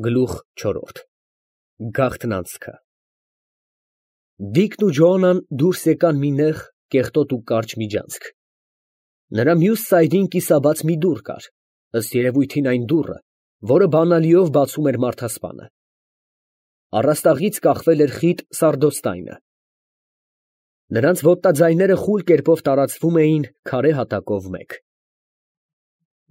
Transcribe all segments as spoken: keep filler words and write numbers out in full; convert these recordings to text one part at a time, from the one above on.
Գլուխ չորրորդ Գաղտնանցքը Դիկն ու Ջոանան դուրս եկան մի նեղ, կեղտոտ ու կարճ միջանցք. նրա մյուս սայրին կիսաբաց մի դուռ կար, ըստ երևույթին այն դուռը, որը բանալիով բացում էր մարդասպանը. առաստաղից կախվել էր խիտ սարդոստայնը. նրանց ոտնաձայները խուլ կերպով տարածվում էին քարե հատակով մեկ.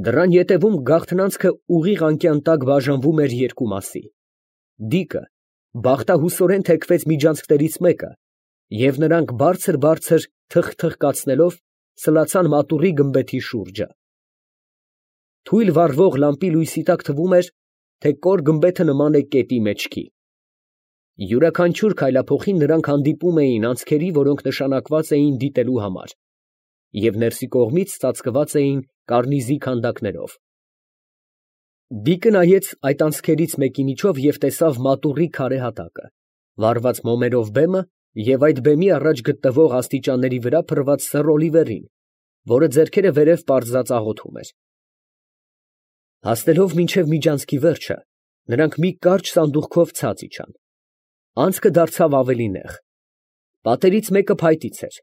դռան ետևում գաղտնանցքը ուղիղ անկյան տակ բաժանվում էր երկու մասի. Դիկը բախտահուսորեն թեքվեց միջանցքներից մեկը, և նրանք բարձր֊բարձր թխթխկացնելով սլացան մատուռի գմբեթի շուրջը. թույլ վառվող լամպի լույսի տակ թվում էր, թե կոր գմբեթը նման է կետի մեջքի. յուրաքանչյուր քայլափոխին նրանք հանդիպում էին անցքերի, որոնք նշանակված էին դիտելու համար, և ներսի կողմից ծածկված էին կարնիզի քանդակներով. Դիկը նայեց այդ անցքերից մեկի միջով և տեսավ մատուռի քարե հատակը, վառված մոմերով բեմը և այդ բեմի առաջ գտնվող աստիճանների վրա փռված սեռ օլիվերին, որը ձեռքերը վերև պարզած աղոթում էր. հասնելով մինչև միջանցքի վերջը, նրանք մի կարճ սանդուղքով ցած իջան. անցքը դարձավ ավելի նեղ. պատերից մեկը փայտից էր.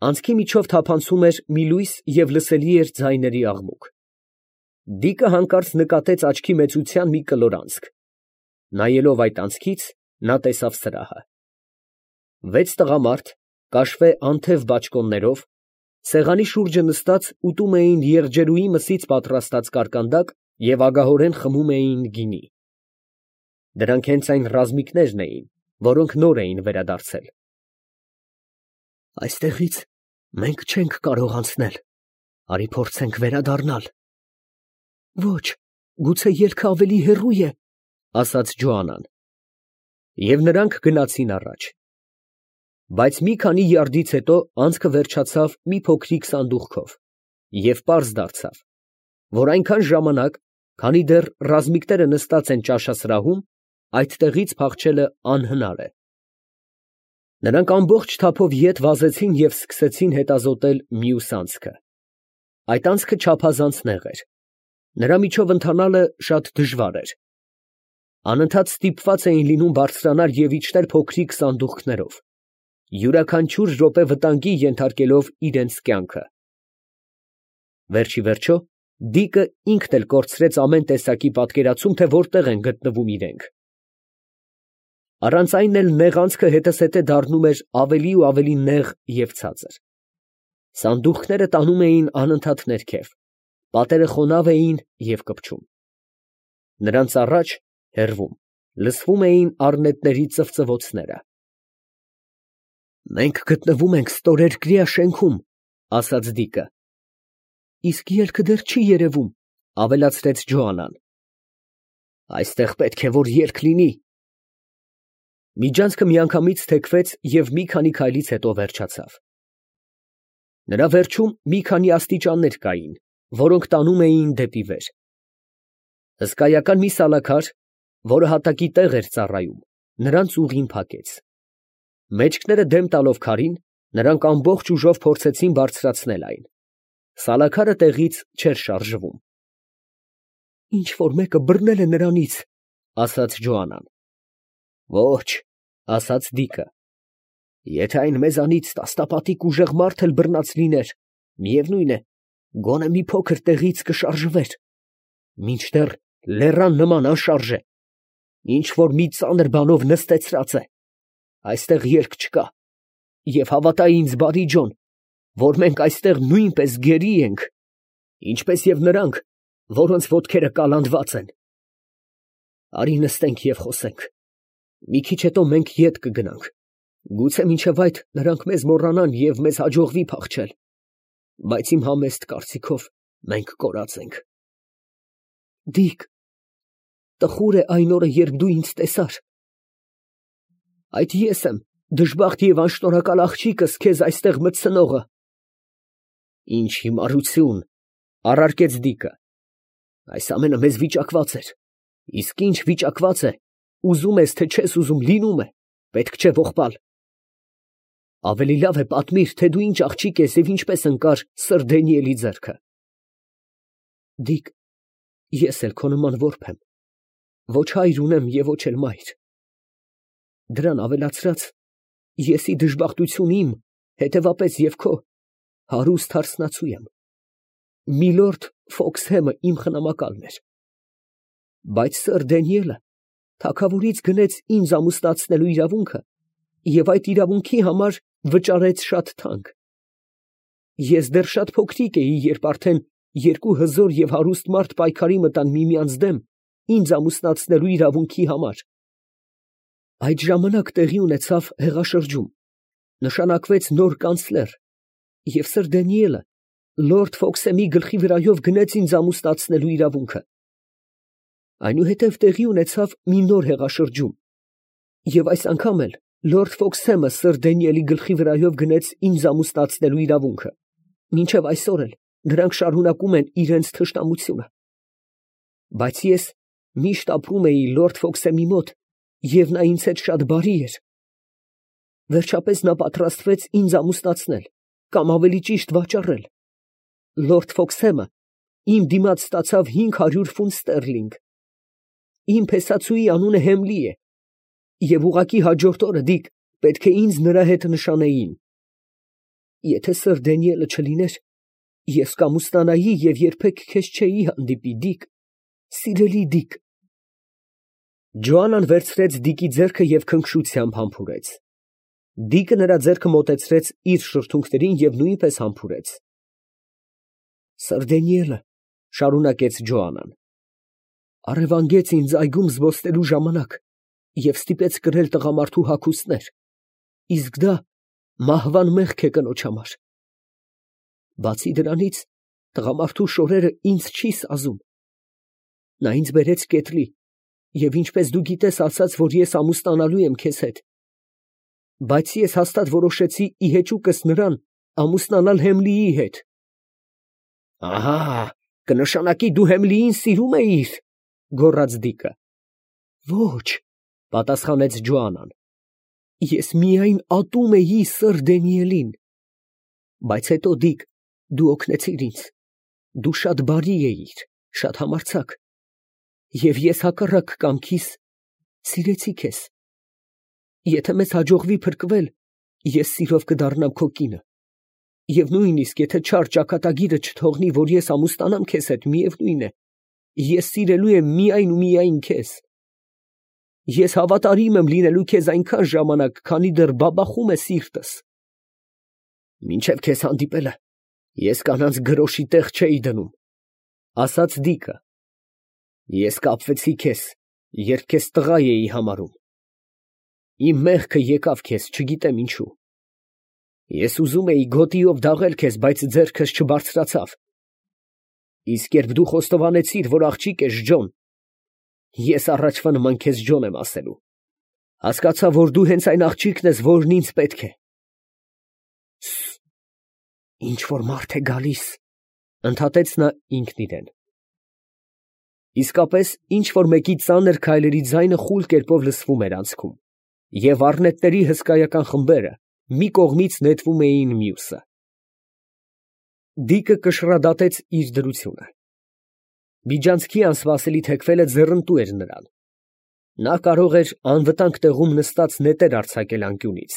անցքի միջով թափանցում էր մի լույս և լսելի էր ձայների աղմուկ. Դիկը հանկարծ նկատեց աչքի մեծության մի կլոր անցք. նայելով այդ անցքից, նա տեսավ սրահը. վեց տղամարդ, կաշվե անթև բաճկոններով, սեղանի շուրջը նստած ուտում էին եղջերուի մսից պատրաստած կարկանդակ և ագահորեն խմում էին գինի. դրանք հենց այն ռազմիկներն էին, որոնք նոր էին վերադարձել։ Այստեղից մենք չենք կարող անցնել, արի փորձենք վերադառնալ։ Ոչ, գուցե ելքը ավելի հեռու է, ասաց Ջոանան։ Եվ նրանք գնացին առաջ։ Բայց մի քանի յարդից հետո անցքը վերջացավ մի փոքրիկ սանդուղքով, և պարզ դարձավ, որ այնքան ժամանակ, քանի դեռ ռազմիկները նստած են ճաշասրահում, այդտեղից փախչելը անհնար է։ Նրանք ամբողջ թափով ետ վազեցին և սկսեցին հետազոտել մյուս անցքը։ Այդ անցքը չափազանց նեղ էր. նրա միջով ընթանալը շատ դժվար էր. անընդհատ ստիպված էին լինում բարձրանալ և իջնել փոքրիկ սանդուղքներով, յուրաքանչյուր րոպե վտանգի ենթարկելով իրենց կյանքը։ Վերջիվերջո, Դիկը ինքն էլ կորցրեց ամեն տեսակի պատկերացում, թե որտեղ են գտնվում իրենք։ Առանց այն էլ նեղ անցքը հետզհետե դառնում էր ավելի ու ավելի նեղ և ցածր. սանդուղքները տանում էին անընդհատ ներքև, պատերը խոնավ էին և կպչում։ Նրանց առաջ, հեռվում, լսվում էին առնետների ծվծվոցները։ Մենք գտնվում ենք ստորերկրյա շենքում, ասաց Դիկը։ Իսկ ելքը դեռ չի երևում, ավելացրեց Ջոանան։ Այստեղ պետք է որ ելք լինի։ Միջանցքը միանգամից թեքվեց և մի քանի քայլից հետո վերջացավ։ Նրա վերջում մի քանի աստիճաններ կային, որոնք տանում էին դեպի վեր։ Հսկայական մի սալաքար, որը հատակի տեղ էր ծառայում, նրանց ուղին փակեց։ Մեջքները դեմ տալով քարին, նրանք ամբողջ ուժով փորձեցին բարձրացնել այն։ Սալաքարը տեղից չէր շարժվում։ Ինչ֊որ մեկը բռնել է նրանից, ասաց Ջոանան։ Ոչ, ասաց Դիկը։ Եթե այն մեզանից տասնապատիկ ուժեղ մարդ էլ բռնած լիներ, միևնույն է, գոնե մի փոքր տեղից կշարժվեր, մինչդեռ լեռան նման անշարժ է, ինչ֊որ մի ծանր բանով նստեցրած է, այստեղ ելք չկա, և հավատա ինձ, բարի ջոն, որ մենք այստեղ նույնպես գերի ենք, ինչպես և նրանք, որոնց ոտքերը կալանդված են։ Արի նստենք և խոսենք, մի քիչ հետո մենք ետ կգնանք, գուցե մինչև այդ նրանք մեզ մոռանան և մեզ հաջողվի փախչել, բայց իմ համեստ կարծիքով մենք կորած ենք։ Դիկ, տխուր է այն օրը, երբ դու ինձ տեսար։ Այդ ես եմ, դժբախտ և անշնորհակալ աղջիկս քեզ այստեղ մտցնողը։ Ինչ հիմարություն, առարկեց Դիկը։ Այս ամենը մեզ վիճակված էր, իսկ ինչ վիճակված է, ուզում ես, թե չես ուզում, լինում է, պետք չէ ողբալ։ Ավելի լավ է պատմիր, թե դու ինչ աղջիկ ես և ինչպես ընկար սըր Դանիելի ձեռքը։ Դիկ, ես էլ քո նման որբ եմ, Ոչ հայր ունեմ և ոչ էլ մայր։ Դրան ավելացրած, եսի դժբախտություն իմ, հետևապես և քո, հարուստ հարսնացու եմ։ Միլորդ Ֆոքսհեմը իմ խնամակալն էր, բայց սըր Դանիելը թագավորից գնեց ինձ ամուսնացնելու իրավունքը և այդ իրավունքի համար վճարեց շատ թանկ։ Ես դեռ շատ փոքրիկ էի, երբ արդեն երկու հզոր և հարուստ մարդ պայքարի մտան միմյանց դեմ ինձ ամուսնացնելու իրավունքի համար։ Այդ ժամանակ տեղի ունեցավ հեղաշրջում, նշանակվեց նոր կանցլեր, և սըր Դանիելը լորդ Ֆոքսեմի գլխի վրայով գնեց ինձ ամուսնացնելու իրավունքը։ Այնուհետև տեղի ունեցավ մի նոր հեղաշրջում, և այս անգամ էլ լորդ Ֆոքսհեմը սըր Դանիելի գլխի վրայով գնեց ինձ ամուսնացնելու իրավունքը, մինչև այսօր էլ նրանք շարունակում են իրենց թշնամությունը։ Բայց ես միշտ ապրում էի լորդ Ֆոքսեմի մոտ, և նա ինձ հետ շատ բարի էր։ Վերջապես նա պատրաստվեց ինձ ամուսնացնել, կամ ավելի ճիշտ վաճառել։ Լորդ Ֆոքսհեմը իմ դիմաց ստացավ հինգ հարյուր ֆունտ ստերլինգ։ Իմ փեսացուի անունը Հեմլի է, և ուղղակի հաջորդ օրը, Դիկ, պետք է ինձ նրա հետ նշանեին։ Եթե սըր Դանիելը չլիներ, ես կամուսնանայի և երբեք քեզ չէի հանդիպի, Դիկ, սիրելի Դիկ։ Ջոաննան վերցրեց Դիկի ձեռքը և քնքշությամբ համբուրեց։ Դիկը նրա ձեռքը մոտեցրեց իր շրթունքներին և նույնպես համբուրեց։ Սըր Դանիելը, ֊ շարունակեց Ջոաննան, ֊ առևանգեց ինձ այգում զբոսնելու ժամանակ և ստիպեց կրել տղամարդու հագուստներ, իսկ դա մահվան մեղք է կնոջ համար։ Բացի դրանից, տղամարդու շորերը ինձ չի սազում։ Նա ինձ բերեց կետլի և, ինչպես դու գիտես, ասաց, որ ես ամուսնանալու եմ քեզ հետ, բայց ես հաստատ որոշեցի ի հեճուկս նրան ամուսնանալ Հեմլիի հետ։ Ահա, կնշանակի դու Հեմլիին սիրում էիր, ֊ գոռաց Դիկը։ Ոչ, ֊ պատասխանեց Ջոաննան, ես միայն ատում էի սըր Դանիելին։ Բայց հետո, Դիկ, դու օգնեցիր ինձ, դու շատ բարի էիր, շատ համարձակ, և ես հակառակ կամքիս սիրեցի քեզ։ Եթե մեզ հաջողվի փրկվել, ես սիրով կդառնամ քո կինը, և նույնիսկ եթե չար ճակատագիրը չթողնի, որ ես ամուսնանամ քեզ հետ, միևնույն է, ես սիրելու եմ միայն ու միայն քեզ։ Ես հավատարիմ եմ լինելու քեզ այնքան ժամանակ, քանի դեռ բաբախում է սիրտս։ Մինչև քեզ հանդիպելը ես կանանց գրոշի տեղ չէի դնում, ֊ ասաց Դիկը։ Ես կապվեցի քեզ, երբ քեզ տղա էի համարում։ Իմ մեղքը եկավ քեզ, չգիտեմ ինչու։ Ես ուզում էի գոտիով դաղել քեզ, բայց ձեռքս չբարձրացավ։ Իսկ երբ դու խոստովանեցիր, որ աղջիկ ես Ջոն, ես առաջվա նման քեզ Ջոն եմ ասելու, հասկացա, որ դու հենց այն աղջիկն ես, որն ինձ պետք է։ Ինչ որ մարդ է գալիս, ֊ ընդհատեց նա ինքն իրեն։ Իսկապես, ինչ որ մեկի ծանր քայլերի ձայնը խուլ կերպով լսվում էր անցքում, և առնետների հսկայական խմբերը մի կողմից նետվում էին մյուսը։ Դիկը կշռադատեց իր դրությունը։ Միջանցքի անսպասելի թեքվելը ձեռնտու էր նրան։ Նա կարող էր անվտանգ տեղում նստած նետեր արձակել անկյունից։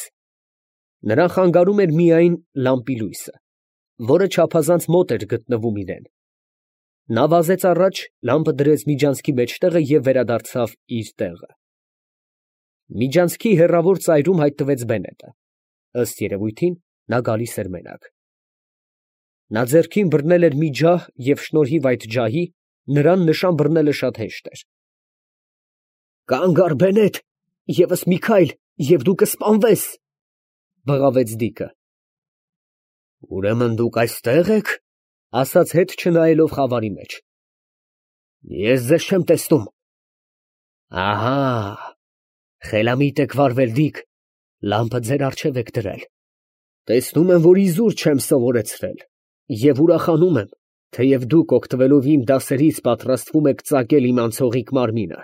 Նրան խանգարում էր միայն լամպի լույսը, որը չափազանց մոտ էր գտնվում իրան։ Նա վազեց առաջ, լամպը դրեց միջանցքի մեջտեղը և վերադարձավ իր տեղը։ Միջանցքի հեռավոր ծայրում հայտնվեց Բենետը։ Ըստ երևույթին, նա գալիս էր մենակ։ Նա ձեռքին բռնել էր մի ջահ և շնորհիվ այդ ջահի նրան նշան բռնելը շատ հեշտ էր։ Կանգ առ, Բենետ, ևս մի քայլ, և դու կսպանվես, ֊ բղավեց Դիկը։ Ուրեմն դուք այստեղ եք, ֊ ասաց հետ չնայելով խավարի մեջ։ Ես ձեզ չեմ տեսնում։ Ահա, խելամիտ եք վարվել, Դիկ, լամպը ձեր առջև եք դրել։ Տեսնում եմ, որ իզուր չեմ սովորեցրել, և ուրախանում եմ, թեև դուք օգտվելով իմ դասերից պատրաստվում եք ծակել իմ անցողիկ մարմինը։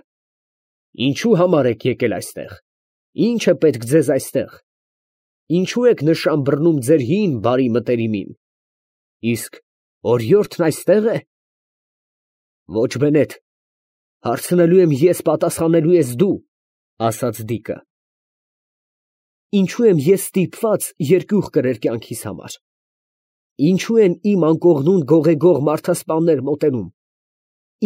Ինչու համար եք եկել այստեղ, ինչ է պետք ձեզ այստեղ, ինչու եք նշան բռնում ձեր հին բարի մտերիմին, իսկ օրիորդն այստե՞ղ է։ Ոչ, Բենետ, Հարցնելու եմ ես, պատասխանելու ես դու, ասաց Դիկը։ Ինչու եմ ես ստիպված երկյուղ կրել կյանքիս համար։ Ինչու են իմ անկողնուն գողեգող մարդասպաններ մոտենում։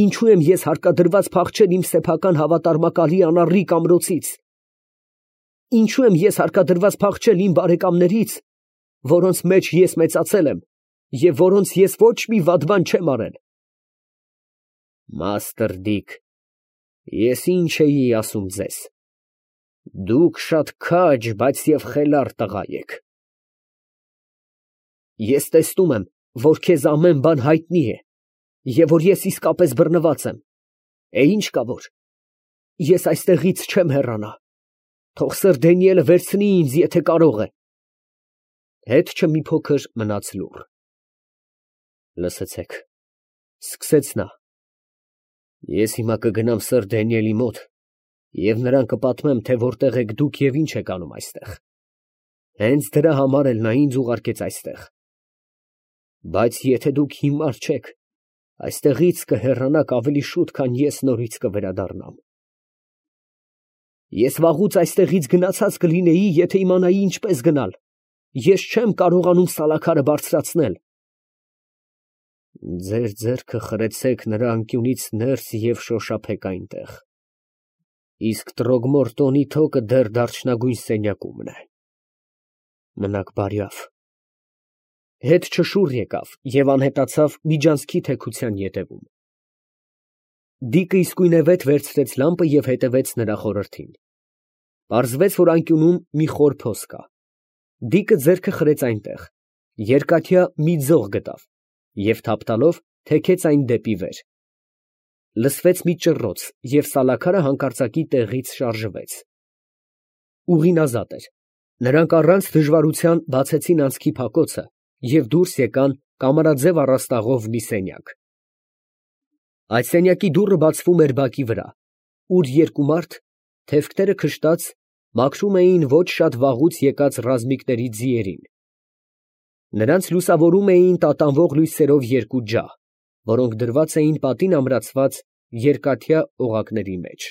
Ինչու եմ ես հարկադրված փախչել իմ սեփական հավատարմակալի անառիկ ամրոցից։ Ինչու եմ ես հարկադրված փախչել իմ բարեկամներից, որոնց մեջ ես մեծացել եմ և որոնց ես ոչ մի վատ բան չեմ արել։ Մաստր Դիկ, ես ինչ էի ասում ձեզ։ Դուք շատ քաջ, բայց և խելառ տղա եք։ Ես տեսնում եմ, որ քեզ ամեն բան հայտնի է, և որ ես իսկապես բռնված եմ։ Է ինչ կա որ։ Ես այստեղից չեմ հեռանա։ Թող սըր Դանիելը վերցնի ինձ, եթե կարող է։ Հետքը մի փոքր մնաց լուռ։ Լսեցեք, սկսեց նա. Ես հիմա կգնամ սըր Դանիելի մոտ և նրան կպատմեմ, թե որտեղ եք դուք և ինչ եք անում այստեղ։ Հենց դրա համար էլ նա ինձ ուղարկեց այստեղ։ Բայց եթե դուք հիմար չեք, այստեղից կհեռանաք ավելի շուտ, քան ես նորից կվերադառնամ։ Ես վաղուց այստեղից գնացած կլինեի, եթե իմանայի ինչպես գնալ։ Ես չեմ կարողանում սալաքարը բարձրացնել։ Ձեր ձեռքը խրեցեք նրա անկյունից ներս և շոշափեք այնտեղ։ Իսկ Տրոգմորտոնի թոկը դեռ դարչնագույն սենյակումն է։ Մնաք բարյավ։ Հետ չշուռ եկավ և անհետացավ միջանցքի թեքության ետևում։ Դիկը իսկույնևեթ վերցրեց լամպը և հետևեց նրա խորհրդին։ Պարզվեց, որ անկյունում մի խոր փոս կա։ Դիկը ձեռքը խրեց այնտեղ, երկաթյա մի ձող գտավ և թափ տալով թեքեց այն դեպի վեր։ Լսվեց մի ճռռոց, և սալաքարը հանկարծակի տեղից շարժվեց։ Ուղին ազատ էր։ Նրանք առանց դժվարության բացեցին անցքի փակոցը և դուրս եկան կամարաձև առաստաղով մի սենյակ։ Այդ սենյակի դուռը բացվում էր բակի վրա, ուր երկու մարդ, թևքները քշտած, մաքրում էին ոչ շատ վաղուց եկած ռազմիկների ձիերին։ Նրանց լուսավորում էին տատանվող լույսերով երկու ջահ, որոնք դրված էին պատին ամրացված երկաթյա օղակների մեջ։